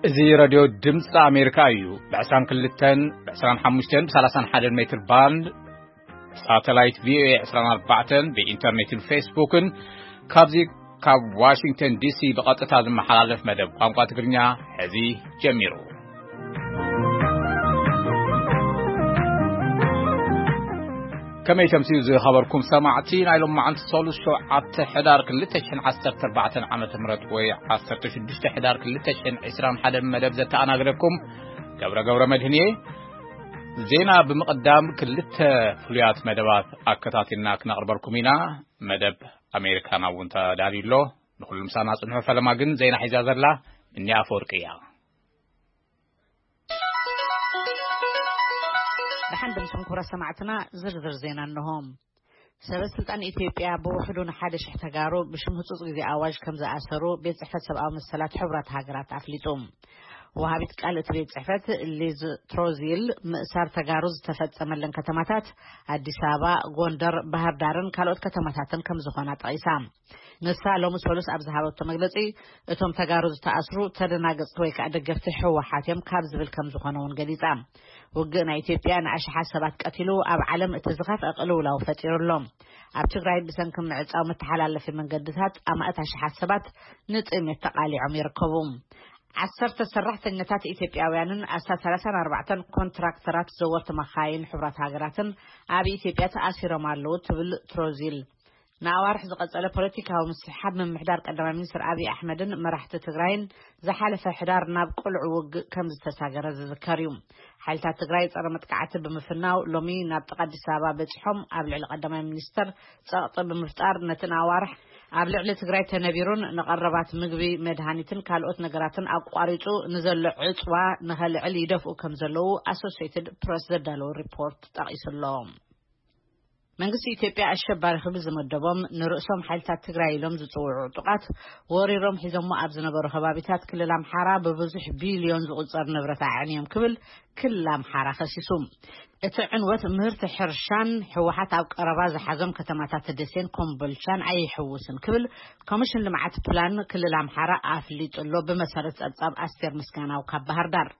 እዚ ሬድዮ ድምፂ ኣሜሪካ እዩ። ብ22፣ ብ25፣ ብ31 ሜትር ባንድ፣ ሳተላይት ቪ ኦ ኤ 24፣ ብኢንተርኔትን ፌስቡክን፣ ካብዚ ካብ ዋሽንግተን ዲ ሲ ብቐጥታ ዝመሓላለፍ መደብ ቋንቋ ትግርኛ ሕዚ ጀሚሩ። ከመይ ተምስዩ ዝኸበርኩም ሰማዕቲ፣ ናይ ሎማዓንቲ ሰሉስ ሸውዓተ ሕዳር ክልተ ሽሕን ዓሰርተ ኣርባዕተን ዓመተ ምህረት ወይ ዓሰርተ ሽዱሽተ ሕዳር ክልተ ሽሕን ዕስራን ሓደን መደብ ዘተኣናግደኩም ገብረ ገብረ መድህን እየ። ዜና ብምቕዳም ክልተ ፍሉያት መደባት ኣከታቲልና ክነቕርበልኩም ኢና። መደብ ኣሜሪካና እውን ተዳልዩ ኣሎ። ንኹሉ ምሳና ጽንሑ። ፈለማ ግን ዜና ሒዛ ዘላ እኒ ኣፈወርቂ እያ። ደሓን ድምስኹም ክቡራት ሰማዕትና፣ ዝርዝር ዜና እንሆ። ሰበ ስልጣን ኢትዮጵያ ብውሕዱ ንሓደ ሽሕ ተጋሩ ብሽም ህጹጽ ግዜ ኣዋጅ ከም ዝኣሰሩ ቤት ጽሕፈት ሰብኣዊ መሰላት ሕቡራት ሃገራት ኣፍሊጡ። ወሃቢት ቃል እቲ ቤት ጽሕፈት ሊዝ ትሮዚል፣ ምእሳር ተጋሩ ዝተፈጸመለን ከተማታት ኣዲስ ኣበባ፣ ጎንደር፣ ባህር ዳርን ካልኦት ከተማታትን ከም ዝኾና ጠቒሳ። ንሳ ሎሚ ሰሉስ ኣብ ዝሃበቶ መግለጺ፣ እቶም ተጋሩ ዝተኣስሩ ተደናገጽቲ ወይ ከኣ ደገፍቲ ህወሓት እዮም ካብ ዝብል ከም ዝኾነ እውን ገሊጻ። ውግእ ናይ ኢትዮጵያ ንኣሽሓት ሰባት ቀቲሉ፣ ኣብ ዓለም እቲ ዝኸፍአ ቅልውላው ፈጢሩ ኣሎ። ኣብ ትግራይ ብሰንኪ ምዕጻው መተሓላለፊ መንገድታት ኣማእት ኣሽሓት ሰባት ንጥሜት ተቓሊዖም ይርከቡ። ዓሰርተ ሰራሕተኛታት ኢትዮጵያውያንን ኣስታት ሰላሳን ኣርባዕተን ኮንትራክተራት ዘወርቲ መኻይን ሕቡራት ሃገራትን ኣብ ኢትዮጵያ ተኣሲሮም ኣለዉ ትብል ትሮዚል። ንኣዋርሕ ዝቐጸለ ፖለቲካዊ ምስሕሓብ ምምሕዳር ቀዳማይ ሚኒስትር ኣብይ ኣሕመድን መራሕቲ ትግራይን ዝሓለፈ ሕዳር ናብ ቅሉዕ ውግእ ከም ዝተሳገረ ዝዝከር እዩ። ሓይልታት ትግራይ ጸረ መጥቃዕቲ ብምፍናው ሎሚ ናብ ጥቓ ኣዲስ ኣበባ በጺሖም ኣብ ልዕሊ ቀዳማይ ሚኒስትር ጸቕጢ ብምፍጣር ነቲ ንኣዋርሕ ኣብ ልዕሊ ትግራይ ተነቢሩን ንቐረባት ምግቢ፣ መድሃኒትን ካልኦት ነገራትን ኣቋሪጹ ንዘሎ ዕጽዋ ንኸልዕል ይደፍኡ ከም ዘለዉ ኣሶሲየትድ ፕረስ ዘዳለዎ ሪፖርት ጠቒሱ ኣሎ። መንግስቲ ኢትዮጵያ ኣሸባሪ ክብል ዝመደቦም ንርእሶም ሓይልታት ትግራይ ኢሎም ዝጽውዑ ዕጡቓት ወሪሮም ሒዞሞ ኣብ ዝነበሩ ከባቢታት ክልል ኣምሓራ ብብዙሕ ቢልዮን ዝቑጸር ንብረት ኣዕንዮም ክብል ክልል ኣምሓራ ከሲሱ። እቲ ዕንወት ምህርቲ ሕርሻን ህወሓት ኣብ ቀረባ ዝሓዞም ከተማታት ደሴን ኮምቦልቻን ኣይሕውስን ክብል ኮሚሽን ልምዓት ፕላን ክልል ኣምሓራ ኣፍሊጡ ኣሎ። ብመሰረት ጸብጻብ ኣስቴር ምስጋናው ካብ ባህር ዳር።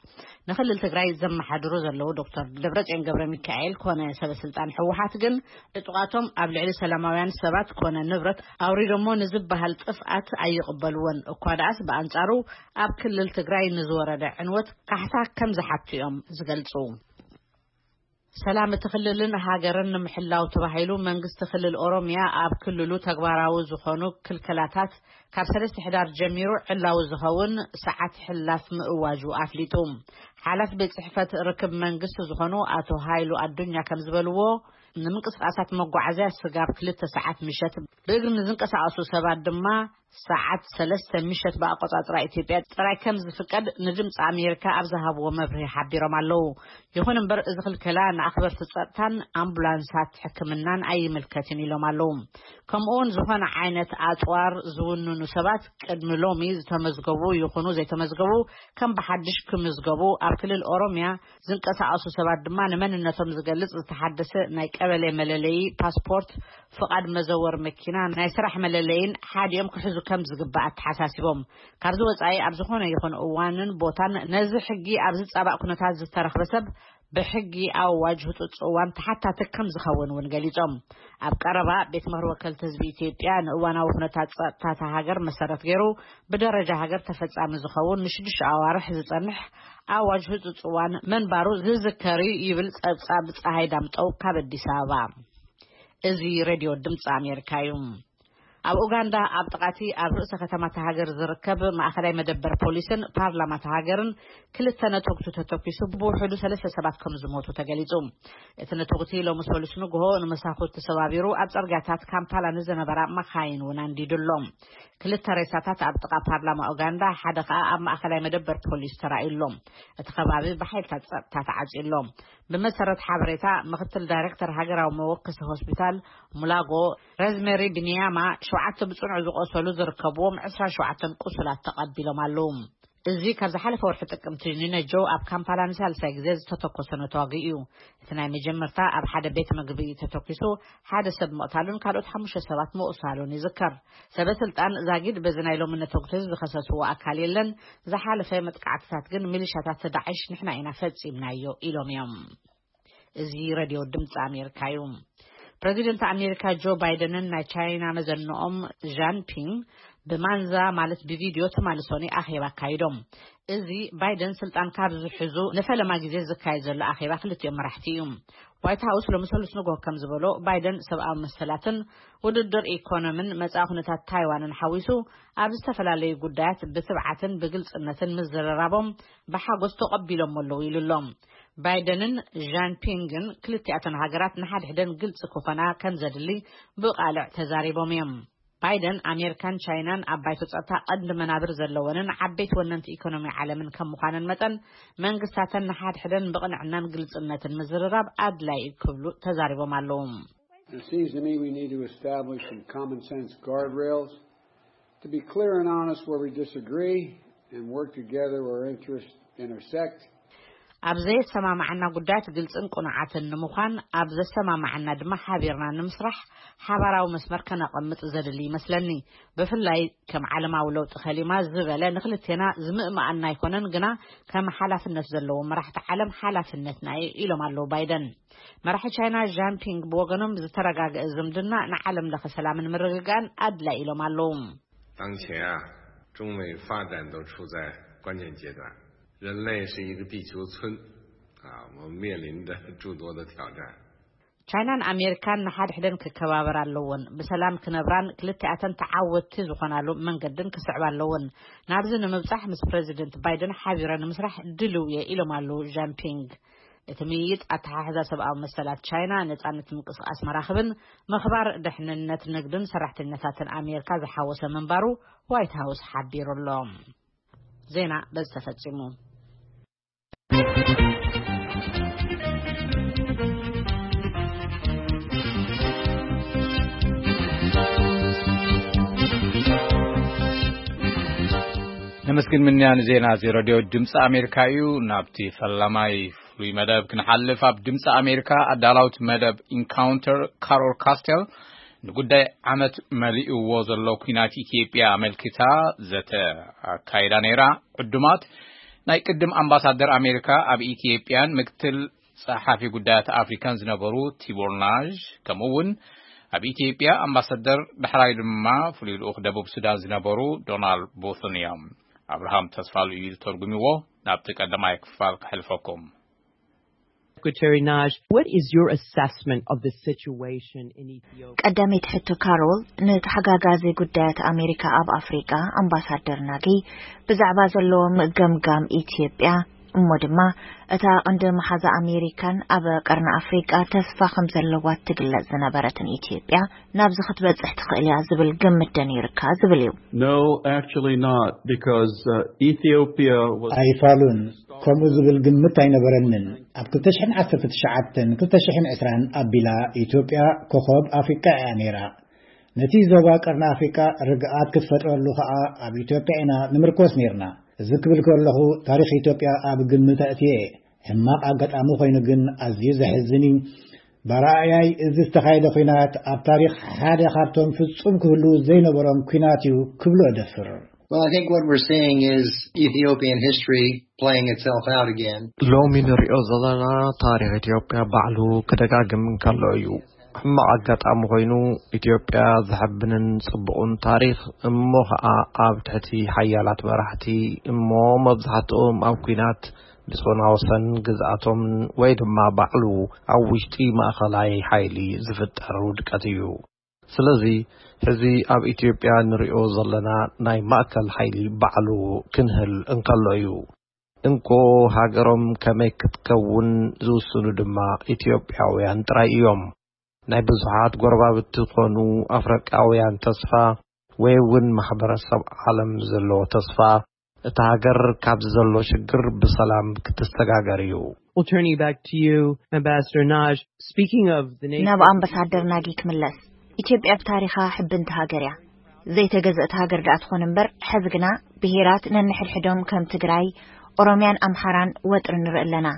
ንክልል ትግራይ ዘመሓድሩ ዘለዉ ዶክተር ደብረጽዮን ገብረ ሚካኤል ኮነ ሰበ ስልጣን ህወሓት ግን ዕጡቓቶም ኣብ ልዕሊ ሰላማውያን ሰባት ኮነ ንብረት ኣውሪዶሞ ንዝበሃል ጥፍኣት ኣይቕበልዎን። እኳ ደኣስ ብኣንጻሩ ኣብ ክልል ትግራይ ንዝወረደ ዕንወት ካሕሳ ከም ዝሓቱ እዮም ዝገልጹ። ሰላም እቲ ክልልን ሃገርን ንምሕላው ተባሂሉ መንግስቲ ክልል ኦሮሚያ ኣብ ክልሉ ተግባራዊ ዝኾኑ ክልከላታት ካብ ሰለስተ ሕዳር ጀሚሩ ዕላዊ ዝኸውን ሰዓት ሕላፍ ምእዋጁ ኣፍሊጡ። ሓላፊ ቤት ጽሕፈት ርክብ መንግስቲ ዝኾኑ ኣቶ ሃይሉ ኣዱኛ ከም ዝበልዎ፣ ንምንቅስቃሳት መጓዓዝያ ስጋብ ክልተ ሰዓት ምሸት ብእግሪ ንዝንቀሳቐሱ ሰባት ድማ ሰዓት ሰለስተ ምሸት ብኣቆጻጽራ ኢትዮጵያ ጥራይ ከም ዝፍቀድ ንድምፂ ኣሜሪካ ኣብ ዝሃብዎ መብርሂ ሓቢሮም ኣለዉ። ይኹን እምበር፣ እዚ ክልከላ ንኣኽበርቲ ጸጥታን ኣምቡላንሳት ሕክምናን ኣይምልከትን ኢሎም ኣለዉ። ከምኡ እውን ዝኾነ ዓይነት ኣጽዋር ዝውንኑ ሰባት ቅድሚ ሎሚ ዝተመዝገቡ ይኹኑ ዘይተመዝገቡ ከም ብሓድሽ ክምዝገቡ፣ ኣብ ክልል ኦሮሚያ ዝንቀሳቐሱ ሰባት ድማ ንመንነቶም ዝገልጽ ዝተሓደሰ ናይ ቀበሌ መለለዪ ፓስፖርት፣ ፍቓድ መዘወር መኪና፣ ናይ ስራሕ መለለይን ሓዲኦም ክሕዙ ከም ዝግባእ ኣተሓሳሲቦም። ካብዚ ወጻኢ ኣብ ዝኾነ ይኹን እዋንን ቦታን ነዚ ሕጊ ኣብ ዝጻባእ ኩነታት ዝተረኽበ ሰብ ብሕጊ ኣዋጅ ህጹጽ እዋን ተሓታቲ ከም ዝኸውን እውን ገሊጾም። ኣብ ቀረባ ቤት ምኽሪ ወከልቲ ህዝቢ ኢትዮጵያ ንእዋናዊ ኩነታት ጸጥታ እታ ሃገር መሰረት ገይሩ ብደረጃ ሃገር ተፈጻሚ ዝኸውን ንሽዱሽተ ኣዋርሕ ዝጸንሕ ኣዋጅ ህጹጽ እዋን መንባሩ ዝዝከር እዩ ይብል ጸብጻብ ጸሃይ ዳምጠው ካብ ኣዲስ ኣበባ። እዚ ሬድዮ ድምፂ ኣሜሪካ እዩ። ኣብ ኡጋንዳ ኣብ ጥቓቲ ኣብ ርእሰ ከተማ እታ ሃገር ዝርከብ ማእኸላይ መደበር ፖሊስን ፓርላማ እታ ሃገርን ክልተ ነተጉቲ ተተኲሱ ብውሕዱ ሰለስተ ሰባት ከም ዝሞቱ ተገሊጹ። እቲ ነተጉቲ ሎሚ ሰሉስ ንግሆ ንመሳኹቲ ሰባቢሩ ኣብ ጽርግያታት ካምፓላ ንዝነበራ መኻይን እውን ኣንዲዱ ኣሎ። ክልተ ሬሳታት ኣብ ጥቓ ፓርላማ ኡጋንዳ፣ ሓደ ከኣ ኣብ ማእኸላይ መደበር ፖሊስ ተራእዩ ኣሎ። እቲ ከባቢ ብሓይልታት ጸጥታ ተዓጽዩ ኣሎ። ብመሰረት ሓበሬታ ምኽትል ዳይሬክተር ሃገራዊ መወከሲ ሆስፒታል ሙላጎ፣ ረዝሜሪ ቢንያማ፣ ሸውዓተ ብጽኑዕ ዝቖሰሉ ዝርከብዎም ዕስራን ሸውዓተን ቁሱላት ተቐቢሎም ኣለዉ። እዚ ካብ ዝሓለፈ ወርሒ ጥቅምቲ ንነጆ ኣብ ካምፓላ ንሳልሳይ ግዜ ዝተተኮሰ ነተዋጊ እዩ። እቲ ናይ መጀመርታ ኣብ ሓደ ቤት ምግቢ ተተኪሱ ሓደ ሰብ ምቕታሉን ካልኦት ሓሙሽተ ሰባት ምቑሳሉን ይዝከር። ሰበ ስልጣን ዛጊድ በዚ ናይ ሎሚ ነተጉቲ ዝኸሰስዎ ኣካል የለን። ዝሓለፈ መጥቃዕትታት ግን ሚሊሻታት ዳዕሽ ንሕና ኢና ፈጺምናዮ ኢሎም እዮም። እዚ ሬድዮ ድምፂ ኣሜሪካ እዩ። ፕሬዚደንት ኣሜሪካ ጆ ባይደንን ናይ ቻይና መዘንኦም ዣን ፒንግ ብማንዛ ማለት ብቪድዮ ትማሊ ሰኑይ ኣኼባ ኣካይዶም። እዚ ባይደን ስልጣን ካብ ዝሕዙ ንፈለማ ግዜ ዝካየድ ዘሎ ኣኼባ ክልቲኦም መራሕቲ እዩ። ዋይት ሃውስ ሎሚ ሰሉስ ንግሆ ከም ዝበሎ፣ ባይደን ሰብኣዊ መሰላትን ውድድር ኢኮኖምን መጻኢ ኩነታት ታይዋንን ሓዊሱ ኣብ ዝተፈላለዩ ጉዳያት ብትብዓትን ብግልጽነትን ምዝርራቦም ብሓጎስ ተቐቢሎም ኣለዉ ኢሉ ኣሎ። ባይደንን ዣን ፒንግን ክልቲኣተን ሃገራት ንሓድሕደን ግልጺ ክኾና ከም ዘድሊ ብቓልዕ ተዛሪቦም እዮም። ባይደን ኣሜሪካን ቻይናን ኣብ ባይቶ ጸጥታ ቀንዲ መናብር ዘለወንን ዓበይቲ ወነንቲ ኢኮኖሚ ዓለምን ከም ምዃነን መጠን መንግስታተን ንሓድሕደን ብቕንዕናን ግልጽነትን ምዝርራብ ኣድላይ እዩ ክብሉ ተዛሪቦም ኣለዉ። It seems to me we need to establish some common sense guardrails to be clear and honest where we disagree and work together where interests intersect. ኣብ ዘየሰማማዓና ጉዳያት ግልጽን ቅኑዓትን ንምዃን፣ ኣብ ዘሰማማዓና ድማ ሓቢርና ንምስራሕ ሓባራዊ መስመር ከነቐምጥ ዘድሊ ይመስለኒ። ብፍላይ ከም ዓለማዊ ለውጢ ከሊማ ዝበለ ንክልቴና ዝምእመኣና ኣይኮነን፣ ግና ከም ሓላፍነት ዘለዎ መራሕቲ ዓለም ሓላፍነትና እዩ ኢሎም ኣለዉ ባይደን። መራሒ ቻይና ጃንፒንግ ብወገኖም ዝተረጋገአ ዝምድና ንዓለም ለኸ ሰላምን ምርግጋእን ኣድላይ ኢሎም ኣለዉ። 当前啊，中美发展都处在关键阶段，人类是一个地球村啊，我们面临着诸多的挑战。 ቻይናን ኣሜሪካን ንሓድሕደን ክከባበር ኣለዎን ብሰላም ክነብራን ክልቲኣተን ተዓወትቲ ዝኾናሉ መንገድን ክስዕባ ኣለዎን። ናብዚ ንምብጻሕ ምስ ፕሬዚደንት ባይደን ሓቢረ ንምስራሕ ድልው እየ ኢሎም ኣለዉ ጃንፒንግ። እቲ ምይይጥ ኣተሓሕዛ ሰብኣዊ መሰላት ቻይና፣ ነጻነት ምንቅስቃስ መራኽብን ምኽባር ድሕንነት ንግድን ሰራሕተኛታትን ኣሜሪካ ዝሓወሰ ምንባሩ ዋይት ሃውስ ሓቢሩ ኣሎ። ዜና በዚ ተፈጺሙ። ነመስግን ምንያ ንዜና እዚ ረድዮ ድምፂ ኣሜሪካ እዩ። ናብቲ ፈላማይ ፍሉይ መደብ ክንሓልፍ፣ ኣብ ድምፂ ኣሜሪካ ኣዳላውት መደብ ኢንካውንተር ካሮል ካስቴል ንጉዳይ ዓመት መሊእዎ ዘሎ ኲናት ኢትዮጵያ ኣመልኪታ ዘተ ኣካይዳ ነይራ። ዕዱማት ናይ ቅድም ኣምባሳደር ኣሜሪካ ኣብ ኢትዮጵያን ምክትል ጸሓፊ ጉዳያት ኣፍሪካን ዝነበሩ ቲቦር ናዥ፣ ከምኡ እውን ኣብ ኢትዮጵያ ኣምባሳደር፣ ዳሕራይ ድማ ፍሉይ ልኡኽ ደቡብ ሱዳን ዝነበሩ ዶናልድ ቡትን እዮም። ኣብርሃም ተስፋሉ እዩ ዝተርጉምዎ። ናብቲ ቀዳማይ ክፋል ከሕልፈኩም። Secretary Naj, what is your assessment of the situation in Ethiopia? ቀዳመይቲ ሕቶ ካሮል፣ ንተሓጋጋዚ ጉዳያት ኣሜሪካ ኣብ ኣፍሪቃ ኣምባሳደር ናጊ ብዛዕባ ዘለዎም ገምጋም ኢትዮጵያ፣ እሞ ድማ እታ ቀንዲ መሓዛ ኣሜሪካን ኣብ ቀርኒ ኣፍሪቃ ተስፋ ከም ዘለዋ ትግለጽ ዝነበረትን ኢትዮጵያ ናብዚ ክትበጽሕ ትኽእል እያ ዝብል ግምት ዶ ነይርካ ዝብል እዩ። No, actually not, because uh, Ethiopia was. ኣይፋሉን። ከምኡ ዝብል ግምት ኣይነበረንን። ኣብ ክልተ ሽሕን ዓሰርተ ትሽዓተን ክልተ ሽሕን ዕስራን ኣቢላ ኢትዮጵያ ኮኸብ ኣፍሪቃ እያ ነይራ። ነቲ ዞባ ቀርኒ ኣፍሪቃ ርግኣት ክትፈጥረሉ ከኣ ኣብ ኢትዮጵያ ኢና ንምርኮስ ነይርና። እዚ ክብል ከለኹ ታሪኽ ኢትዮጵያ ኣብ ግምት ኣእትየ። ሕማቕ ኣጋጣሚ ኮይኑ ግን ኣዝዩ ዘሕዝን እዩ። ብኣረኣእያይ እዚ ዝተኻየደ ኲናት ኣብ ታሪኽ ሓደ ካብቶም ፍጹም ክህልዉ ዘይነበሮም ኲናት እዩ ክብሎ እደፍር። Well, I think what we're seeing is Ethiopian history playing itself out again. ሎሚ ንሪኦ ዘለና ታሪኽ ኢትዮጵያ ባዕሉ ክደጋግም እንከሎ እዩ። ሕማቕ ኣጋጣሚ ኮይኑ ኢትዮጵያ ዘሐብንን ጽቡቕን ታሪኽ እሞ ኸኣ ኣብ ትሕቲ ሓያላት መራሕቲ እሞ መብዛሕትኦም ኣብ ኲናት ብጾና ወሰን ግዝኣቶም ወይ ድማ ባዕሉ ኣብ ውሽጢ ማእኸላይ ሓይሊ ዝፍጠር ውድቀት እዩ። ስለዚ ሕዚ ኣብ ኢትዮጵያ ንሪኦ ዘለና ናይ ማእከል ሓይሊ ባዕሉ ክንህል እንከሎ እዩ። እንኮ ሃገሮም ከመይ ክትከውን ዝውስኑ ድማ ኢትዮጵያውያን ጥራይ እዮም። ናይ ብዙሓት ጎረባብቲ ኮኑ ኣፍሪቃውያን ተስፋ ወይ እውን ማሕበረሰብ ዓለም ዘለዎ ተስፋ እታ ሃገር ካብዚ ዘሎ ሽግር ብሰላም ክትሰጋገር እዩ። We'll turn you back to you, Ambassador Naj. Speaking of the nation. ናብ ኣምባሳደር ናጊ ክምለስ። ኢትዮጵያ ብታሪኻ ሕብንቲ ሃገር እያ። ዘይተገዘእት ሃገር ደኣ ትኾን እምበር፣ ሕዚ ግና ብሄራት ነንሕድሕዶም ከም ትግራይ፣ ኦሮምያን ኣምሓራን ወጥሪ ንርኢ ኣለና።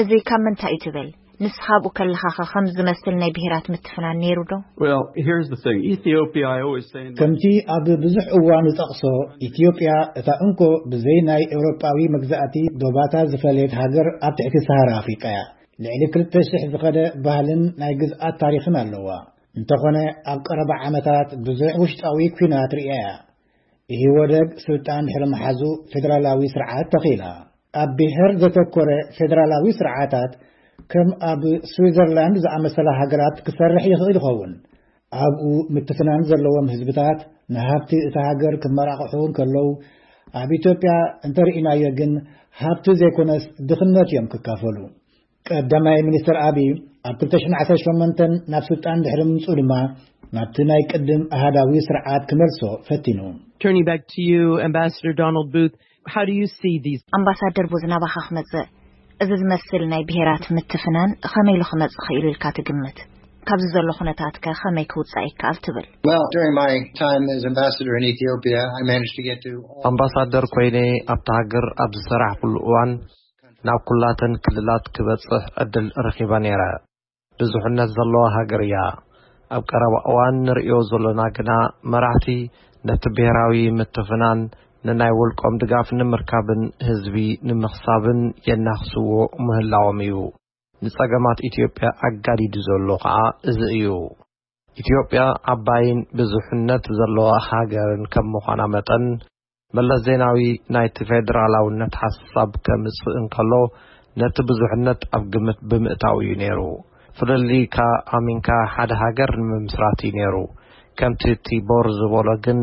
እዚ ካብ ምንታይ እዩ ትብል? ንስኻ ኣብኡ ከለኻኸ ከምዚ ዝመስል ናይ ብሄራት ምትፍናን ነይሩ ዶ? Well, here's the thing. Ethiopia, I always say in my ከምቲ ኣብ ብዙሕ እዋን ዝጠቕሶ፣ ኢትዮጵያ እታ እንኮ ብዘይ ናይ ኤውሮጳዊ መግዛእቲ ዶባታ ዝፈለየት ሃገር ኣብ ትሕቲ ሰሃራ ኣፍሪቃ እያ። ልዕሊ ክልተ ሽሕ ዝኸደ ባህልን ናይ ግዝኣት ታሪኽን ኣለዋ። እንተኾነ ኣብ ቀረባ ዓመታት ብዙሕ ውሽጣዊ ኲናት ርእያ እያ። ኢህወደግ ስልጣን ድሕሪ ምሓዙ ፌደራላዊ ስርዓት ተኺላ። ኣብ ብሔር ዘተኮረ ፌደራላዊ ስርዓታት ከም ኣብ ስዊዘርላንድ ዝኣመሰላ ሃገራት ክሰርሕ ይኽእል ይኸውን። ኣብኡ ምትፍናን ዘለዎም ህዝብታት ንሃብቲ እታ ሃገር ክመራቕሑ እንከለዉ፣ ኣብ ኢትዮጵያ እንተርኢናዮ ግን ሃብቲ ዘይኮነስ ድኽነት እዮም ክካፈሉ። ቀዳማይ ሚኒስትር ኣቢይ ኣብ ክልተ ሽሕን ዓሰርተ ሸሞንተን ናብ ስልጣን ድሕሪ ምምፅኡ ድማ ናብቲ ናይ ቅድም ኣሃዳዊ ስርዓት ክመልሶ ፈቲኑ። Turning back to you, Ambassador Donald Booth, how do you see these? ኣምባሳደር ቡዝ ናባኻ ክመጽእ፣ እዚ ዝመስል ናይ ብሄራት ምትፍናን ኸመይ ኢሉ ክመጽእ ኽኢሉ ኢልካ ትግምት? ካብዚ ዘሎ ኩነታትከ ኸመይ ክውጻእ ይከኣል ትብል? Well, during my time as ambassador in Ethiopia, I managed to get to all ኣምባሳደር ኮይነ ኣብቲ ሃገር ኣብ ዝሰራሕኩሉ እዋን ናብ ኩላተን ክልላት ክበጽሕ ዕድል ረኺበ ነይረ። ብዙሕነት ዘለዋ ሃገር እያ። ኣብ ቀረባ እዋን ንርእዮ ዘሎና ግና መራሕቲ ነቲ ብሔራዊ ምትፍናን ንናይ ውልቆም ድጋፍ ንምርካብን ህዝቢ ንምኽሳብን የናኽስዎ ምህላዎም እዩ። ንጸገማት ኢትዮጵያ ኣጋዲዱ ዘሎ ኸኣ እዚ እዩ። ኢትዮጵያ ዓባይን ብዙሕነት ዘለዋ ሃገርን ከም ምዃና መጠን፣ መለስ ዜናዊ ናይቲ ፌደራላውነት ሓሳብ ከምጽእ እንከሎ፣ ነቲ ብዙሕነት ኣብ ግምት ብምእታው እዩ ነይሩ። ፍልልይካ ኣሚንካ ሓደ ሃገር ንምምስራት እዩ ነይሩ። ከምቲ ቲቦር ዝበሎ ግን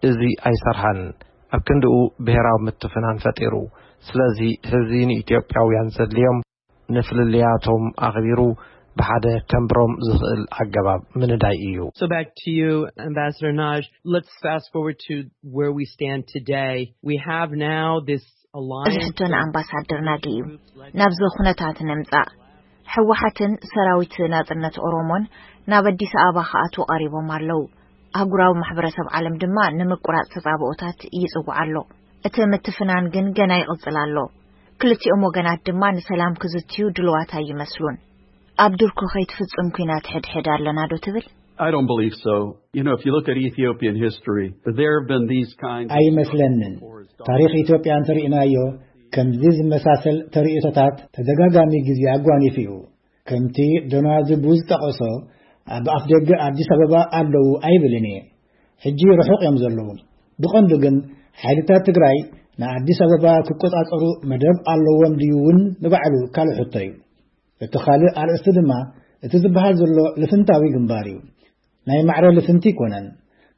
እዚ ኣይሰርሐን። ኣብ ክንድኡ ብሔራዊ ምትፍናን ፈጢሩ። ስለዚ ሕዚ ንኢትዮጵያውያን ዘድልዮም ንፍልልያቶም ኣኽቢሩ ብሓደ ከንብሮም ዝኽእል ኣገባብ ምንዳይ እዩ። So back to you, Ambassador Naj. Let's fast forward to where we stand today. We have now this እዚ alliance. ሕቶ ንኣምባሳደር ናጊ እዩ። ናብዚ ኩነታት ንምጻእ፣ ህወሓትን ሰራዊት ናጽነት ኦሮሞን ናብ ኣዲስ ኣበባ ክኣትዉ ቀሪቦም ኣለዉ። ኣህጉራዊ ማሕበረሰብ ዓለም ድማ ንምቁራጽ ተጻብኦታት ይጽውዕ ኣሎ። እቲ ምትፍናን ግን ገና ይቕጽል ኣሎ። ክልቲኦም ወገናት ድማ ንሰላም ክዝትዩ ድልዋት ኣይመስሉን። ኣብ ዱርኩ ከይትፍጽም ኲናት ሕድሕድ ኣለና ዶ ትብል? I don't believe so. You know, if you look at Ethiopian history, there have been these kinds of ኣይመስለንን። ታሪኽ ኢትዮጵያ እንተርኢናዮ፣ ከምዚ ዝመሳሰል ተርእዮታት ተደጋጋሚ ግዜ ኣጓኒፉ እዩ። ከምቲ ዶናልድ ቡዝ ዝጠቐሶ፣ ኣብ ኣፍደገ ኣዲስ ኣበባ ኣለዉ ኣይብልን እየ። ሕጂ ርሑቕ እዮም ዘለዉ። ብቐንዱ ግን ሓይልታት ትግራይ ንኣዲስ ኣበባ ክቆጻጸሩ መደብ ኣለዎም ድዩ እውን ንባዕሉ ካልእ ሕቶ እዩ። እቲ ካልእ ኣርእስቲ ድማ እቲ ዝበሃል ዘሎ ልፍንታዊ ግንባር እዩ። ናይ ማዕረ ልፍንቲ ኣይኮነን።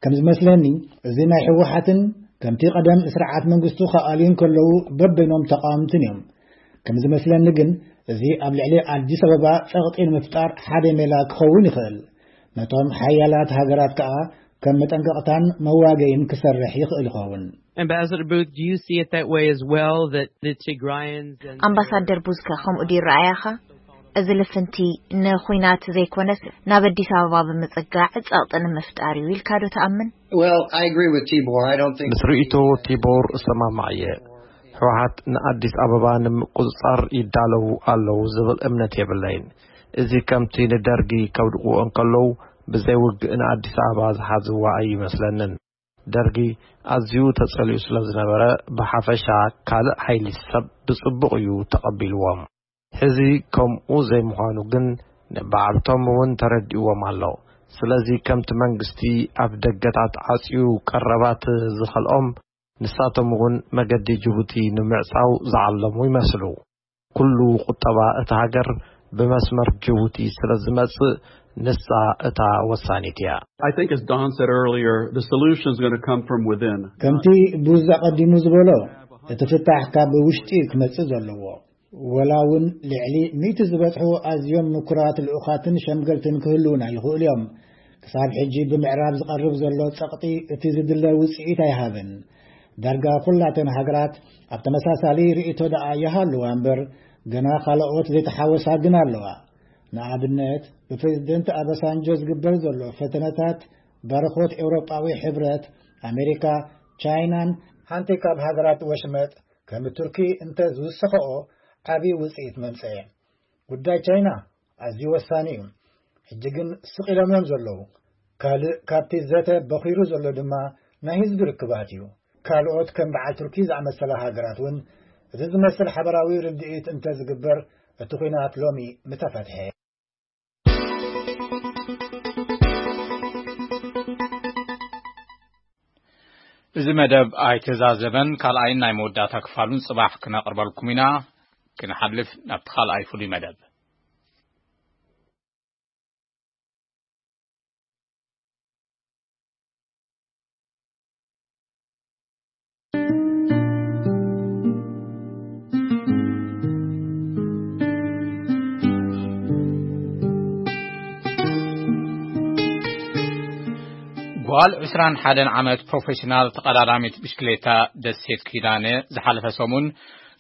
ከም ዝመስለኒ፣ እዚ ናይ ህወሓትን ከምቲ ቀደም ስርዓት መንግስቱ ክኣልዩ እንከለዉ በበይኖም ተቓወምትን እዮም። ከም ዝመስለኒ ግን፣ እዚ ኣብ ልዕሊ ኣዲስ ኣበባ ጸቕጢ ንምፍጣር ሓደ ሜላ ክኸውን ይኽእል። ነቶም ሓያላት ሃገራት ከኣ ከም መጠንቀቕታን መዋገይን ክሰርሕ ይኽእል ይኸውን። Ambassador Booth, do you see it that way as well, that the Tigrayans and ኣምባሳደር ቡዝከ ከምኡ ድዩ ረኣያኻ? እዚ ልፍንቲ ንኹናት ዘይኮነስ ናብ ኣዲስ ኣበባ ብምጽጋዕ ጸቕጢ ንምፍጣር እዩ ኢልካ ዶ ትኣምን? Well, I agree with Tibor. I don't think ምስ ርእይቶ ቲቦር እሰማማዕ እየ። ህወሓት ንኣዲስ ኣበባ ንምቁጽጻር ይዳለዉ ኣለዉ ዝብል እምነት የብለይን። እዚ ከምቲ ንደርጊ ከውድቕዎ እንከለዉ ብዘይ ውግእ ንኣዲስ ኣበባ ዝሓዝዋ ኣይመስለንን። ደርጊ ኣዝዩ ተጸሊኡ ስለ ዝነበረ፣ ብሓፈሻ ካልእ ሓይሊ ሰብ ብጽቡቕ እዩ ተቐቢልዎም። ሕዚ ከምኡ ዘይምዃኑ ግን ንባዕልቶም እውን ተረዲእዎም ኣሎ። ስለዚ ከምቲ መንግስቲ ኣብ ደገታት ዓጽዩ ቀረባት ዝኸልኦም፣ ንሳቶም እውን መገዲ ጅቡቲ ንምዕጻው ዝዓለሙ ይመስሉ። ኩሉ ቁጠባ እታ ሃገር ብመስመር ጅቡቲ ስለ ዝመጽእ፣ ንሳ እታ ወሳኒት እያ። I think, as Don said earlier, the solution is going to come from within. ከምቲ ቡዝ ኣቐዲሙ ዝበሎ፣ እቲ ፍታሕ ካብ ውሽጢ ክመጽእ ዘለዎ። ወላ እውን ልዕሊ ሚእቲ ዝበጽሑ ኣዝዮም ምኩራት ልኡኻትን ሸምገልትን ክህልዉና ይኽእሉ እዮም። ክሳብ ሕጂ ብምዕራብ ዝቐርብ ዘሎ ጸቕጢ እቲ ዝድለ ውጽኢት ኣይሃበን። ዳርጋ ኩላተን ሃገራት ኣብ ተመሳሳሊ ርእይቶ ደኣ ይሃልዋ እምበር፣ ገና ካልኦት ዘይተሓወሳ ግን ኣለዋ። ንኣብነት፣ ብፕሬዝደንት ኣበሳንጆ ዝግበር ዘሎ ፈተነታት ባርኾት ኤውሮጳዊ ሕብረት ኣሜሪካ፣ ቻይናን ሓንቲ ካብ ሃገራት ወሽመጥ ከም ቱርኪ እንተ ዝውስኸኦ ዓብዪ ውፅኢት መምፀኤ። ጉዳይ ቻይና ኣዝዩ ወሳኒ እዩ። ሕጂ ግን ስቕ ኢሎም እዮም ዘለዉ። ካልእ ካብቲ ዘተ በኺሩ ዘሎ ድማ ናይ ህዝቢ ርክባት እዩ። ካልኦት ከም በዓል ቱርኪ ዝኣመሰላ ሃገራት እውን እዚ ዝመስል ሓበራዊ ርድኢት እንተ ዝግበር እቲ ኲናት ሎሚ ምተፈትሐ። እዚ መደብ ኣይተዛዘመን፣ ካልኣይን ናይ መወዳእታ ክፋሉን ጽባሕ ክነቕርበልኩም ኢና። ክንሓልፍ ናብቲ ካልኣይ ፍሉይ መደብ። ጓል ዕስራን ሓደን ዓመት ፕሮፌሽናል ተቐዳዳሚት ብሽክሌታ ደሴት ኪዳነ ዝሓለፈ ሰሙን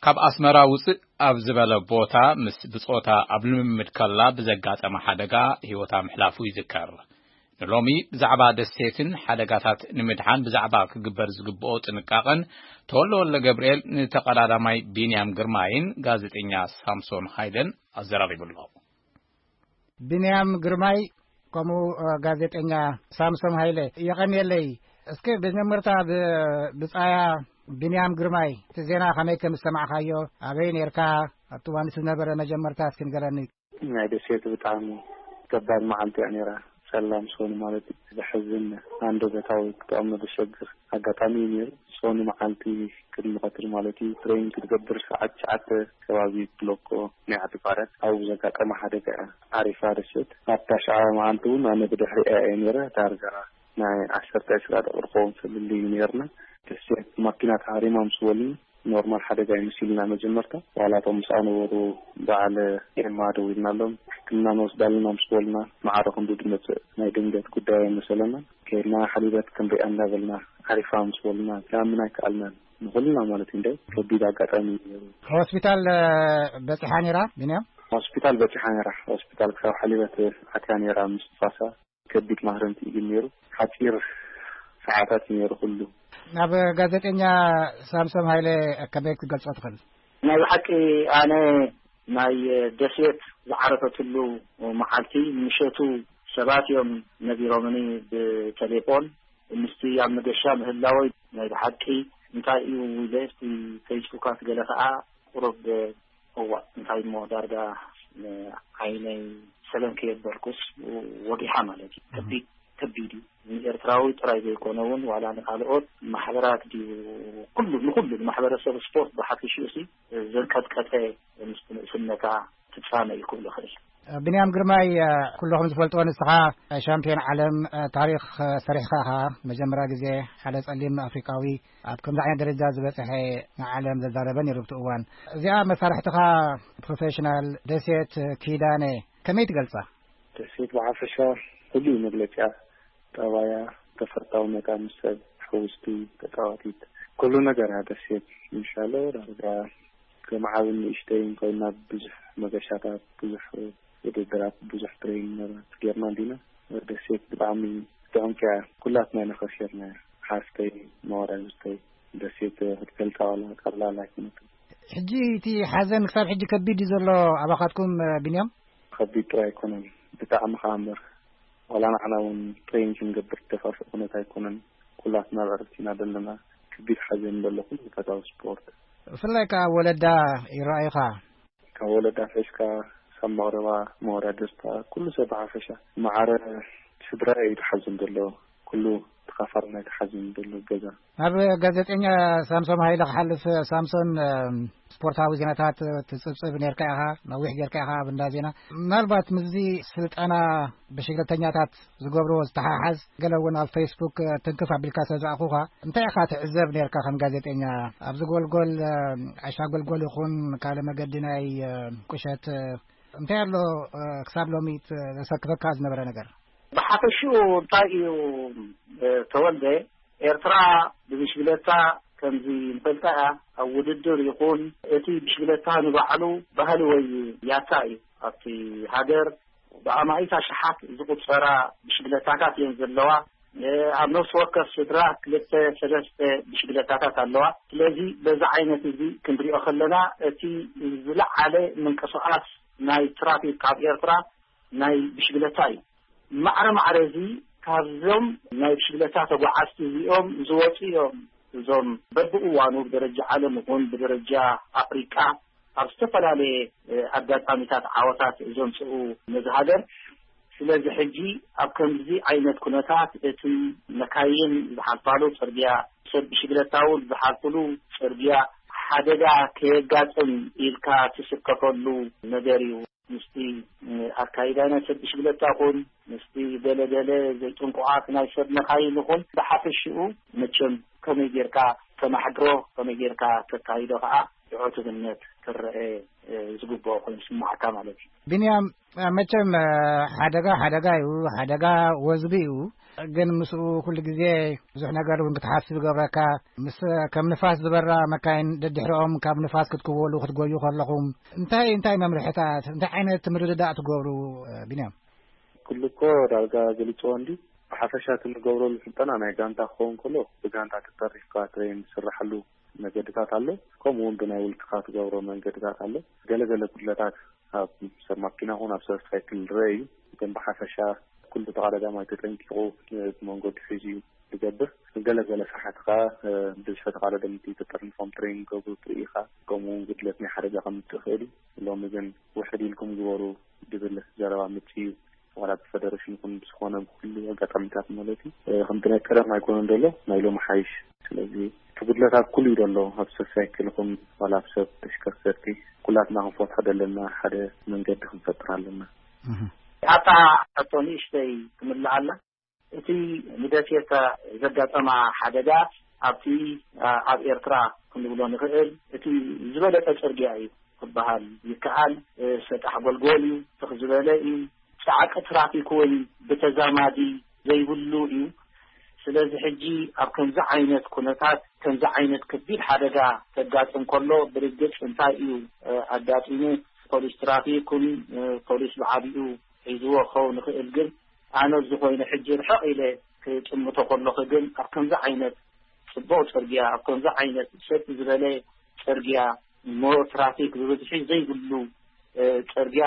ካብ ኣስመራ ውፅእ ኣብ ዝበለ ቦታ ምስ ብጾታ ኣብ ልምምድ ከላ ብዘጋጠመ ሓደጋ ህይወታ ምሕላፉ ይዝከር። ንሎሚ ብዛዕባ ደሴትን ሓደጋታት ንምድሓን ብዛዕባ ክግበር ዝግብኦ ጥንቃቐን ተወልደ ወልደ ገብርኤል ንተቐዳዳማይ ቢንያም ግርማይን ጋዜጠኛ ሳምሶን ሃይለን ኣዘራሪቡ ኣሎ። ቢንያም ግርማይ፣ ከምኡ፣ እ፣ ጋዜጠኛ ሳምሶን ሃይለ፣ የቐንየለይ። እስኪ ብመጀመርታ ብ-፣ ብጻያ ቢንያም ግርማይ፣ እቲ ዜና ከመይ ከም ዝሰማዕካዮ፣ ኣበይ ኔርካ፣ ኣብቲ እዋን እቲ ዝነበረ መጀመርታ እስኪ ንገረኒ። ናይ ደሴት ብጣዕሚ ከባድ መዓልቲ እያ ነይራ። ጸላም ሶኒ ማለት እዩ። ዘሕዝን፣ ኣንደበታዊ ክጥዕሞ ዘሸግር ኣጋጣሚ እዩ ነይሩ። ሶኒ መዓልቲ ቅድሚ ቀትሪ ማለት እዩ፣ ትሬን ክትገብር ሰዓት ትሽዓተ ከባቢ ብሎኮ ናይ ዓዲ ቋርያት ኣብኡ ዘጋጠመ ሓደጋ እያ ዓሪፋ ደሴት። ኣብታ ሸዓ መዓልቲ እውን ኣነ ብድሕሪኣ እየ ነይረ። ዳርጋ ናይ ዓሰርተ ዕስራ ደቂቕ ክኸውን ፍልልይ እዩ ነይርና። ደሴት ማኪና ተሃሪማ ምስ በሉኒ ኖርማል ሓደጋ እዩ መሲሉና መጀመርታ። ዋላ እቶም ምስኣ ነበሩ በዓል ኤማ ደዊልናሎም ሕክምና ንወስድ ኣለና ምስ በሉና፣ ማዕረ ክንዱ ድመጽእ ናይ ድንገት ጉዳይ ኣይመሰለና። ከይድና ሓሊበት ክንሪኣ እንዳበልና ዓሪፋ ምስ በሉና ክኣምን ኣይከኣልናን። ንኹልና ማለት እዩ። እንደ ከቢድ ኣጋጣሚ እዩ ነይሩ። ሆስፒታል፣ እ፣ በጺሓ ነይራ ቢንያም? ሆስፒታል በጺሓ ነይራ። ሆስፒታል ክሳብ ሓሊበት ኣትያ ነይራ ምስ ንፋሳ። ከቢድ ማህረምቲ እዩ ነይሩ። ሓጺር ሰዓታት እዩ ነይሩ ኩሉ። ናብ ጋዜጠኛ ሳምሶም ሃይለ ከመይ ክትገልጾ ትኽእል? ናይ ብሓቂ ኣነ ናይ ደሴት ዝዓረፈትሉ መዓልቲ ምሸቱ ሰባት እዮም ነጊሮምኒ ብቴሌፎን። ምስቲ ኣብ መገሻ ምህላወይ ናይ ብሓቂ እንታይ እዩ ኢለ፣ እስቲ ፌስቡካት ገለ ከኣ ቁሩብ፣ እዋ፣ እንታይ እሞ ዳርጋ ንዓይነይ ሰለም ከየበልኩስ ወጊሓ ማለት እዩ። ከቢድ፣ ከቢድ እዩ። ንኤርትራዊ ጥራይ ዘይኮነ እውን ዋላ ንኻልኦት ማሕበራት ድዩ፣ ኩሉ፣ ንኹሉ ንማሕበረሰብ ስፖርት ብሓፊሽኡ ሲ ዘንቀጥቀጠ ምስቲ ንእስነታ ፍጻመ እዩ ክብሎ ይኽእል። ብንያም ግርማይ፣ ኩልኹም ዝፈልጥዎ ንስኻ ሻምፒዮን ዓለም ታሪኽ ሰሪሕኻ ኢኻ። መጀመርያ ግዜ ሓደ ጸሊም ኣፍሪቃዊ ኣብ ከምዚ ዓይነት ደረጃ ዝበጽሐ ንዓለም ዘዛረበ ነይሩ ብቲ እዋን። እዚኣ መሳርሕትኻ ፕሮፌሽናል ደሴት ኪዳነ ከመይ ትገልጻ? ደሴት ብሓፈሻ ፍሉይ መግለጺኣ፣ ጠባያ፣ ተፈታውነታ ምስ ሰብ፣ ሕውስቲ፣ ተጻዋቲት፣ ኩሉ ነገራ ደሴት። ኢንሻሎ ዳርጋ ከም ዓብን ንእሽተይን ኮይና ብዙሕ መገሻታት፣ ብዙሕ ውድድራት፣ ብዙሕ ትሬኒንገራት ጌርና እንዲና። ደሴት ብጣዕሚ ጥዕምቲ እያ። ኩላትና ኢና ከሲርና። ሓፍተይ፣ መወዳድርተይ፣ ደሴት ክትገልጻ ዋላ ቀላል ኣይኮነትን። ሕጂ እቲ ሓዘን ክሳብ ሕጂ ከቢድ እዩ ዘሎ ኣባኻትኩም፣ ቢንያም? ከቢድ ጥራይ ኣይኮነን፣ ብጣዕሚ ከኣ እምበር። ዋላ ንዓና እውን ትሬኒንግ ክንገብር ደፋፍእ ኩነት ኣይኮነን። ኩላትና ኣብ ዕረፍቲ ኢና ዘለና። ከቢድ ሓዘን ዘሎ ኩሉ ፈታዊ ስፖርት። ብፍላይ ከኣ ወለዳ ይረኣዩኻ። ካብ ወለዳ ኣትሒዝካ፣ ሳብ መቕረባ፣ መወዳድርታ፣ ኩሉ ሰብ ብሓፈሻ፣ ማዕረ ስድራ እዩ ተሓዝን ዘሎ፣ ኩሉ ተኻፋሊ ናይ ተሓዝን ዘሎ ገዛ። ናብ ጋዜጠኛ ሳምሶም ሃይለ ክሓልፍ፣ ሳምሶን፣ እም፣ ስፖርታዊ ዜናታት ትጽብጽብ ኔርካ ኢኻ፣ ነዊሕ ጌርካ ኢኻ ኣብ እንዳ ዜና። ምናልባት ምስዚ ስልጠና ብሽግለተኛታት ዝገብርዎ ዝተሓሓዝ፣ ገለ እውን ኣብ ፌስቡክ ትንክፍ ኣቢልካ ስለ ዝረኣኹኻ፣ እንታይ ኢኻ ትዕዘብ ኔርካ ከም ጋዜጠኛ? ኣብዚ ጎልጎል፣ ዓሻ ጎልጎል ይኹን ካልእ መገዲ ናይ ቁሸት እንታይ ኣሎ ክሳብ ሎሚ ዘሰክፈካ ዝነበረ ነገር? ብሓፈሽኡ እንታይ እዩ ተወልደ፣ ኤርትራ ብብሽግለታ ከምዚ ንፈልጣ እያ፣ ኣብ ውድድር ይኹን እቲ ብሽግለታ ንባዕሉ ባህሊ ወይ ያታ እዩ። ኣብቲ ሃገር ብኣማኢት ኣሽሓት ዝቑጸራ ብሽግለታታት እየን ዘለዋ። ኣብ ነፍሲ ወከፍ ስድራ ክልተ ሰለስተ ብሽግለታታት ኣለዋ። ስለዚ በዚ ዓይነት እዚ ክንሪኦ ከለና፣ እቲ ዝለዓለ ምንቅስቓስ ናይ ትራፊክ ኣብ ኤርትራ ናይ ብሽግለታ እዩ። ማዕረ ማዕረ እዚ ካብዞም ናይ ብሽግለታ ተጓዓዝቲ እዚኦም ዝወፁ እዮም። እዞም በብእዋኑ ብደረጃ ዓለም ይኹን ብደረጃ ኣፍሪቃ ኣብ ዝተፈላለየ ኣጋጣሚታት ዓወታት ዘምፅኡ ነዚ ሃገር። ስለዚ ሕጂ ኣብ ከምዚ ዓይነት ኩነታት እቲ መካይን ዝሓልፋሉ ፅርግያ፣ ሰብ ብሽግለታ እውን ዝሓልፍሉ ፅርግያ ሓደጋ ከየጋጥም ኢልካ ትስከፈሉ ነገር እዩ። ምስቲ ኣካይዳ ናይ ሰብ ብሽግለታ ይኹን ምስቲ ገለ ገለ ዘይጥንቁቓት ናይ ሰብ መካይን ይኹን ብሓፈሽኡ መቸም ከመይ ጌርካ ተማሕድሮ፣ ከመይ ጌርካ ተካይዶ ከዓ ብዕቱብነት ክረአ ዝግብኦ ኮይኑ ስማዕካ ማለት እዩ። ቢንያም፣ መቸም ሓደጋ ሓደጋ እዩ፣ ሓደጋ ወዝቢ እዩ። ግን ምስኡ ኩሉ ግዜ ብዙሕ ነገር እውን ክትሓስብ ይገብረካ። ምስ ከም ንፋስ ዝበራ መካይን ደድሕሪኦም ካብ ንፋስ ክትክወሉ ክትጎዩ ከለኹም እንታይ እንታይ መምርሕታት እንታይ ዓይነት ምርድዳእ ትገብሩ? ቢንያም፣ ኩሉ እኮ ዳርጋ ገሊፅዎ እንዲ ብሓፈሻ እቲ ንገብረሉ ስልጠና ናይ ጋንታ ክኸውን ከሎ ብጋንታ ተጠሪፍካ ትሬን ዝስራሓሉ መገድታት ኣሎ። ከምኡ እውን ብናይ ውልቅኻ ትገብሮ መንገድታት ኣሎ። ገለገለ ጉድለታት ኣብ ሰብ ማኪና ኹን ኣብ ሰብ ሳይክል ዝረአ እዩ። ግን ብሓፈሻ ኩሉ ተቐዳዳማይ ተጠንቂቑ ብመንገዱ ሒዙ እዩ ዝገብር። ገለገለ ሰሓት ከዓ ብዝሒ ተቐዳደምቲ ተጠርኒፎም ትሬን ገብሩ ትርኢ ኢኻ። ከምኡ እውን ጉድለት ናይ ሓደጋ ከምፅእ ይኽእል እዩ። ሎሚ ግን ውሕድ ኢልኩም ግበሩ ድብል ዘረባ ምፅእ እዩ። ዋላ ብፈደረሽን ይኹን ብዝኾነ ብኩሉ ኣጋጣሚታት ማለት እዩ። ከምቲ ናይ ቀደም ኣይኮነን ዘሎ ናይ ሎሚ ሓይሽ። ስለዚ እቲ ጉድለታት ኩሉ እዩ ዘሎ ኣብ ሰብ ሳይክል ይኹን ዋላ ኣብ ሰብ ተሽከርከርቲ ኩላትና ክንፈትሖ ዘለና ሓደ መንገዲ ክንፈጥር ኣለና። ኣታ ሕቶ ንእሽተይ ክምልኣላ። እቲ ንደሴት ዘጋጠማ ሓደጋ ኣብቲ ኣብ ኤርትራ ክንብሎ ንኽእል እቲ ዝበለጸ ጽርግያ እዩ ክበሃል ይከኣል። ሰጣሕ ጎልጎል እዩ፣ ትኽ ዝበለ እዩ። ጻዕቂ ትራፊክ እውን ብተዛማዲ ዘይብሉ እዩ። ስለዚ ሕጂ ኣብ ከምዚ ዓይነት ኩነታት ከምዚ ዓይነት ከቢድ ሓደጋ ተጋጥም ከሎ ብርግጽ እንታይ እዩ ኣጋጢሙ? ፖሊስ ትራፊክ ን ፖሊስ ብዓቢኡ ሒዝዎ ክኸውን ይኽእል። ግን ኣነ እዚ ኮይኑ ሕጂ ርሕቕ ኢለ ክጥምቶ ከለኹ ግን ኣብ ከምዚ ዓይነት ጽቡቕ ጽርግያ ኣብ ከምዚ ዓይነት ሰጥ ዝበለ ጽርግያ እሞ ትራፊክ ብብዝሒ ዘይብሉ ጽርግያ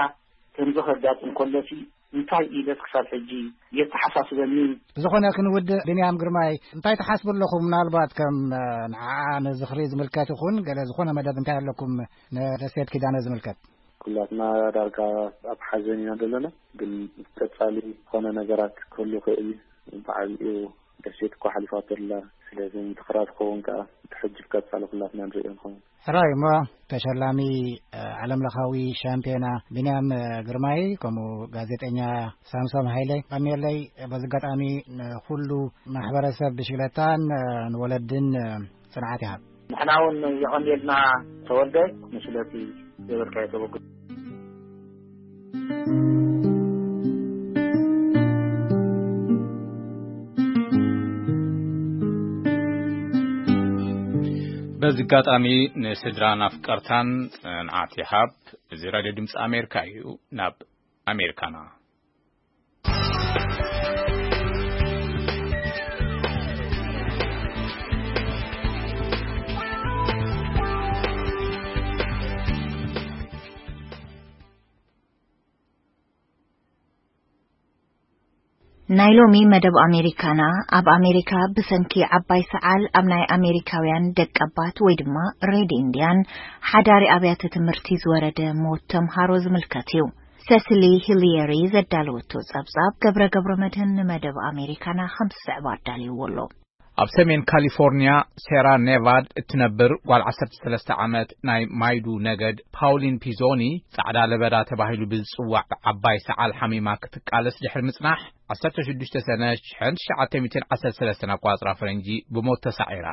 ከምዚ ከጋጥም ከሎሲ እንታይ ኢለስ ክሳብ ሕጂ የተሓሳስበኒ። ብዝኾነ ክንውድእ ብንያም ግርማይ እንታይ ትሓስቡ ኣለኹም? ምናልባት ከም ንዓ ንዝኽሪ ዝምልከት ይኹን ገለ ዝኾነ መደብ እንታይ ኣለኩም ንደሴት ኪዳነ ዝምልከት? ኩላትና ዳርጋ ኣብ ሓዘን ኢና ዘለና። ግን ቀጻሊ ዝኾነ ነገራት ክህሉ ይኽእል እዩ። ብዓቢኡ ደሴት እኮ ሓሊፋቶ ኣላ። ስለዚ ምትኽራር ክኸውን ከኣ እቲ ሕጂ ብቀጻሊ ኩላትና ንርእዮ ንኸውን። ሕራይ እሞ ተሸላሚ ዓለምለኻዊ ሻምፒዮና ብንያም ግርማይ ከምኡ ጋዜጠኛ ሳምሶም ሃይለ ቀኒየለይ። በዚ ኣጋጣሚ ንኹሉ ማሕበረሰብ ብሽግለታን ንወለድን ጽንዓት ይሃብ። ንሕና እውን የቐንየልና ተወልደ ንስለቲ ዘበልካዮ ተበግሶ። በዚ ኣጋጣሚ ንስድራን ኣፍቀርታን ጽንዓት ይሃብ። እዚ ራድዮ ድምፂ ኣሜሪካ እዩ። ናብ ኣሜሪካና። ናይ ሎሚ መደብ ኣሜሪካና ኣብ ኣሜሪካ ብሰንኪ ዓባይ ሰዓል ኣብ ናይ ኣሜሪካውያን ደቀባት ወይ ድማ ሬድ ኢንድያን ሓዳሪ ኣብያተ ትምህርቲ ዝወረደ ሞት ተምሃሮ ዝምልከት እዩ። ሰስሊ ሂሊየሪ ዘዳለወቶ ጸብጻብ ገብረ ገብረ መድህን ንመደብ ኣሜሪካና ከም ዝስዕብ ኣዳልይዎ ኣሎ። ኣብ ሰሜን ካሊፎርኒያ ሴራ ኔቫድ እትነብር ጓል ዓሰርተ ሰለስተ ዓመት ናይ ማይዱ ነገድ ፓውሊን ፒዞኒ ጻዕዳ ለበዳ ተባሂሉ ብዝጽዋዕ ዓባይ ሰዓል ሓሚማ ክትቃለስ ድሕሪ ምጽናሕ ዓሰርተ ሽዱሽተ ሰነ ሽሕን ትሽዓተ ሚእትን ዓሰርተ ሰለስተን ኣቋጽራ ፈረንጂ ብሞት ተሳዒራ።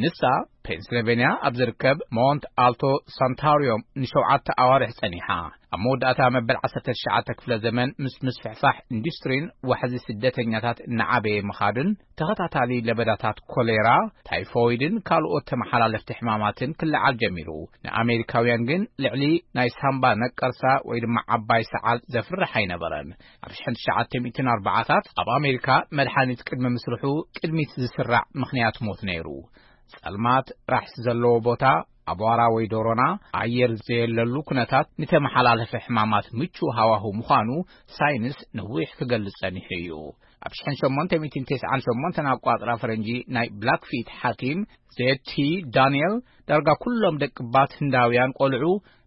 ንሳ ፔንስልቬንያ ኣብ ዝርከብ ሞንት ኣልቶ ሳንታሪዮም ንሸውዓተ ኣዋርሕ ጸኒሓ። ኣብ መወዳእታ መበል ዓሰርተ ትሽዓተ ክፍለ ዘመን፣ ምስ ምስፍሕፋሕ ኢንዱስትሪን ዋሕዚ ስደተኛታት እናዓበየ ምኻድን፣ ተኸታታሊ ለበዳታት ኮሌራ፣ ታይፎይድን ካልኦት ተመሓላለፍቲ ሕማማትን ክለዓል ጀሚሩ። ንኣሜሪካውያን ግን ልዕሊ ናይ ሳምባ ነቀርሳ ወይ ድማ ዓባይ ሰዓል ዘፍርሕ ኣይነበረን። ኣብ ሽሕን ትሽዓተ ሚእትን ኣርባዓታት ኣብ ኣሜሪካ መድሓኒት ቅድሚ ምስርሑ ቅድሚት ዝስራዕ ምኽንያት ሞት ነይሩ። ጸልማት፣ ራሕሲ ዘለዎ ቦታ፣ ኣቧራ ወይ ዶሮና፣ ኣየር ዘየለሉ ኩነታት ንተመሓላለፊ ሕማማት ምቹእ ሃዋሁ ምዃኑ ሳይንስ ነዊሕ ክገልጽ ጸኒሑ እዩ። ኣብ ሽሕን ሸሞንተ ሚእትን ተስዓን ሸሞንተን ኣቋጽራ ፈረንጂ ናይ ብላክፊት ሓኪም ዜቲ ዳንኤል፣ ዳርጋ ኩሎም ደቅባት ህንዳውያን ቆልዑ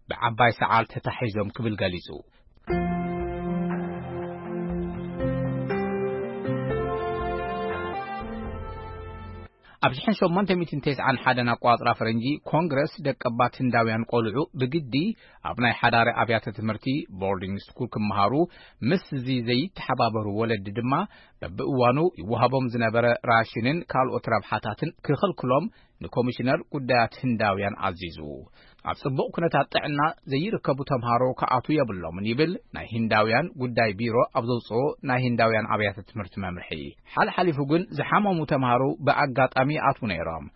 ብዓባይ ሰዓል ተታሒዞም ክብል ገሊጹ። ኣብ ሽሕን ሸሞንተ ሚእትን ተስዓን ሓደን ኣቋጽራ ፈረንጂ፣ ኮንግረስ ደቀባት ህንዳውያን ቆልዑ ብግዲ ኣብ ናይ ሓዳሪ ኣብያተ ትምህርቲ፣ ቦርዲንግ ስኩል፣ ክመሃሩ ምስ እዚ ዘይተሓባበሩ ወለዲ ድማ፣ በብእዋኑ ይወሃቦም ዝነበረ ራሽንን ካልኦት ረብሓታትን ክኸልክሎም ንኮሚሽነር ጉዳያት ህንዳውያን ኣዚዙ። ኣብ ጽቡቕ ኩነታት ጥዕና ዘይርከቡ ተምሃሮ ክኣትዉ የብሎምን ይብል ናይ ህንዳውያን ጉዳይ ቢሮ ኣብ ዘውጽኦ ናይ ህንዳውያን ኣብያተ ትምህርቲ መምርሒ። ሓልሓሊፉ ግን ዝሓመሙ ተምሃሮ ብኣጋጣሚ ይኣትዉ ነይሮም።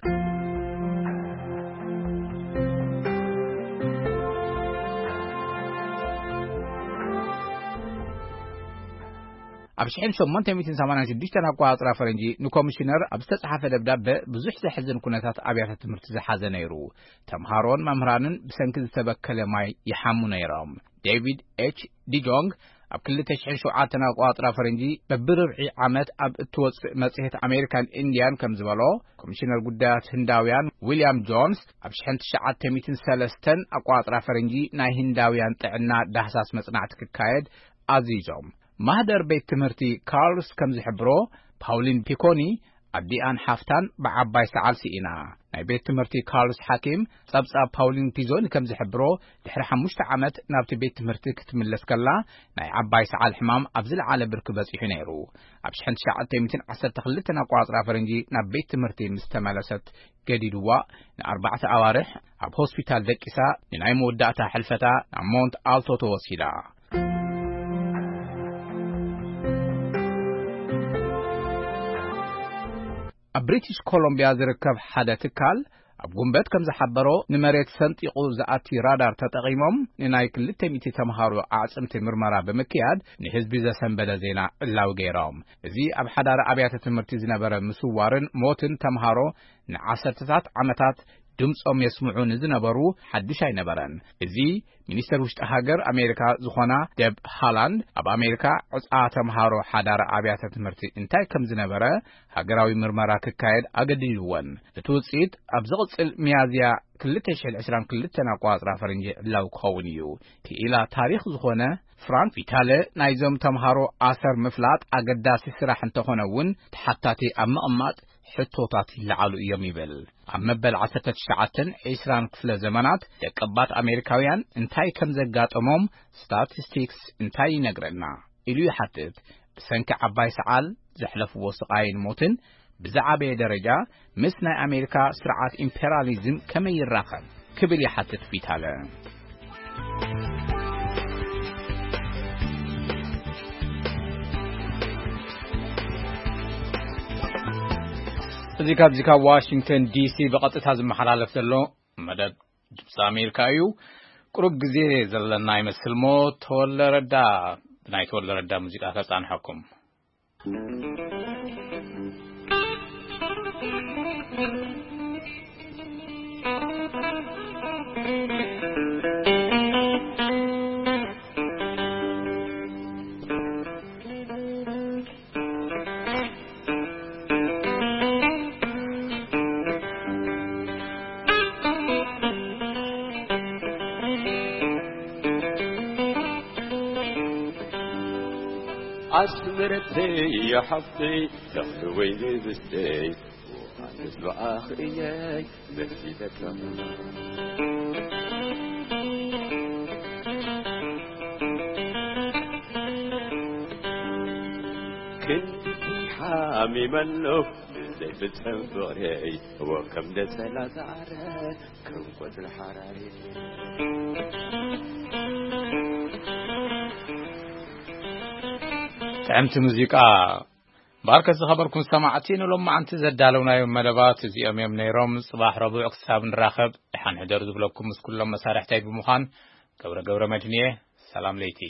ኣብ ሽሕን ሸሞንተ ሚእትን ሰማንያን ሽዱሽተን ኣቋጽራ ፈረንጂ፣ ንኮሚሽነር ኣብ ዝተጻሓፈ ደብዳበ፣ ብዙሕ ዘሕዝን ኩነታት ኣብያተ ትምህርቲ ዝሓዘ ነይሩ። ተምሃሮን መምህራንን ብሰንኪ ዝተበከለ ማይ ይሓሙ ነይሮም። ዴቪድ ኤች ዲጆንግ ኣብ ክልተ ሽሕን ሸውዓተን ኣቋጽራ ፈረንጂ በብርብዒ ዓመት ኣብ እትወጽእ መጽሔት ኣሜሪካን ኢንዲያን ከም ዝበሎ፣ ኮሚሽነር ጉዳያት ህንዳውያን ዊልያም ጆንስ ኣብ ሽሕን ትሽዓተ ሚእትን ሰለስተን ኣቋጽራ ፈረንጂ ናይ ህንዳውያን ጥዕና ዳህሳስ መጽናዕቲ ክካየድ ኣዚዞም። ማህደር ቤት ትምህርቲ ካርልስ ከም ዝሕብሮ፣ ፓውሊን ፒኮኒ ኣዲኣን ሓፍታን ብዓባይ ሰዓል ስኢና። ናይ ቤት ትምህርቲ ካርልስ ሓኪም ጸብጻብ ፓውሊን ፒዞኒ ከም ዝሕብሮ፣ ድሕሪ ሓሙሽተ ዓመት ናብቲ ቤት ትምህርቲ ክትምለስ ከላ፣ ናይ ዓባይ ሰዓል ሕማም ኣብ ዝለዓለ ብርኪ በጺሑ ነይሩ። ኣብ ሽሕን ትሽዓተ ሚእትን ዓሰርተ ክልተን ኣቋጽራ ፈረንጂ ናብ ቤት ትምህርቲ ምስ ተመለሰት፣ ገዲድዋ ንኣርባዕተ ኣዋርሕ ኣብ ሆስፒታል ደቂሳ፣ ንናይ መወዳእታ ሕልፈታ ናብ ሞንት ኣልቶ ተወሲዳ። ኣብ ብሪቲሽ ኮሎምቢያ ዝርከብ ሓደ ትካል ኣብ ጉንበት ከም ዝሓበሮ፣ ንመሬት ሰንጢቑ ዝኣቲ ራዳር ተጠቒሞም ንናይ ክልተ ሚእቲ ተምሃሮ ኣዕጽምቲ ምርመራ ብምክያድ፣ ንህዝቢ ዘሰንበደ ዜና ዕላዊ ገይሮም። እዚ ኣብ ሓዳሪ ኣብያተ ትምህርቲ ዝነበረ ምስዋርን ሞትን ተምሃሮ ንዓሰርተታት ዓመታት ድምጾም የስምዑ ንዝነበሩ ሓድሽ ኣይነበረን። እዚ ሚኒስተር ውሽጢ ሃገር ኣሜሪካ ዝኾና ደብ ሃላንድ፣ ኣብ ኣሜሪካ ዕጻ ተምሃሮ ሓዳር ኣብያተ ትምህርቲ እንታይ ከም ዝነበረ ሃገራዊ ምርመራ ክካየድ ኣገዲድወን። እቲ ውጽኢት ኣብ ዝቕጽል ሚያዝያ ክልተ ሽሕን ዕስራን ክልተን ኣቋጽራ ፈረንጂ ዕላዊ ክኸውን እዩ። ክኢላ ታሪኽ ዝኾነ ፍራንክ ቪታለ፣ ናይዞም ተምሃሮ ኣሰር ምፍላጥ ኣገዳሲ ስራሕ እንተኾነ እውን፣ ተሓታቲ ኣብ ምቕማጥ ሕቶታት ይለዓሉ እዮም ይብል። ኣብ መበል ዓሰርተ ትሽዓተን ዕስራን ክፍለ ዘመናት ደቀባት ኣሜሪካውያን እንታይ ከም ዘጋጠሞም ስታቲስቲክስ እንታይ ይነግረና ኢሉ ይሓትት። ብሰንኪ ዓባይ ሰዓል ዘሕለፍዎ ስቓይን ሞትን ብዝዓበየ ደረጃ ምስ ናይ ኣሜሪካ ስርዓት ኢምፔሪያሊዝም ከመይ ይራኸብ ክብል ይሓትት ቪታለ። እዚ ካብዚ ካብ ዋሽንግተን ዲሲ ብቐጥታ ዝመሓላለፍ ዘሎ መደብ ድምፂ ኣሜሪካ እዩ። ቁሩብ ግዜ ዘለና ይመስል እሞ፣ ተወለ ረዳ፣ ብናይ ተወለ ረዳ ሙዚቃ ከጻንሐኩም። ኣስመረተይ ሓፍተይ፣ ዳሕሪ ወይኒ ብስተይ፣ ኣነስ ብኣኽ እየይ መሲለካ። ክንድቲ ሓሚመ ኣለኹ ብዘይ ብጽቡቕ ርእይዎ ከም ደሰላ ሳዕረ፣ ከም ቆጽሊ ሓራሪ። ጥዕምቲ ሙዚቃ። ባርከ ዝኸበርኩም ሰማዕቲ፣ ንሎማዓንቲ ዘዳለውናዮም መደባት እዚኦም እዮም ነይሮም። ጽባሕ ረቡዕ ክሳብ ንራኸብ፣ ደሓን ሕደሩ ዝብለኩም ምስ ኩሎም መሳርሕተይ ብምዃን ገብረ ገብረ መድህን እየ። ሰላም ለይቲ።